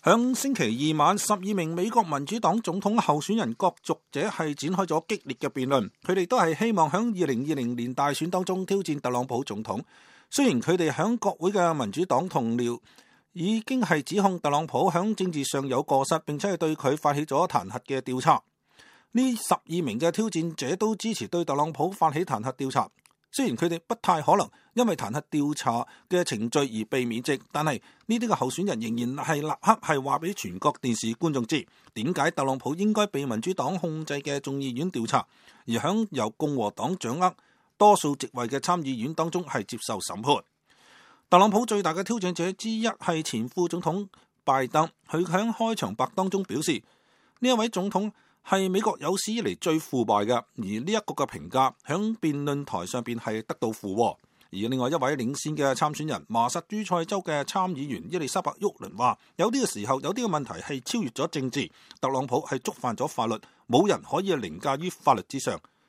響星期二晚，12名美國民主黨總統候選人角逐者係展開咗激烈嘅辯論，佢哋都係希望響2020年大選當中挑戰特朗普總統。雖然佢哋響國會嘅民主黨同僚已經係指控特朗普響政治上有過失，並且係對佢發起咗彈劾嘅調查。呢12名嘅挑戰者都支持對特朗普發起彈劾調查。雖然佢哋不太可能因為彈劾調查嘅程序而被免職，但係呢啲嘅候選人仍然係立刻係話俾全國電視觀眾知，點解特朗普應該被民主黨控制嘅眾議院調查，而響由共和黨掌握多數席位嘅參議院當中係接受審判。特朗普最大嘅挑戰者之一係前副總統拜登，佢響開場白當中表示，呢一位總統係美國有史以嚟最腐敗嘅，而呢一個嘅評價響辯論台上邊係得到附和。而另外一位領先嘅參選人麻薩諸塞州嘅參議員伊麗莎白沃倫話，有啲嘅時候有啲嘅問題係超越咗政治，特朗普係觸犯咗法律，冇人可以凌駕於法律之上。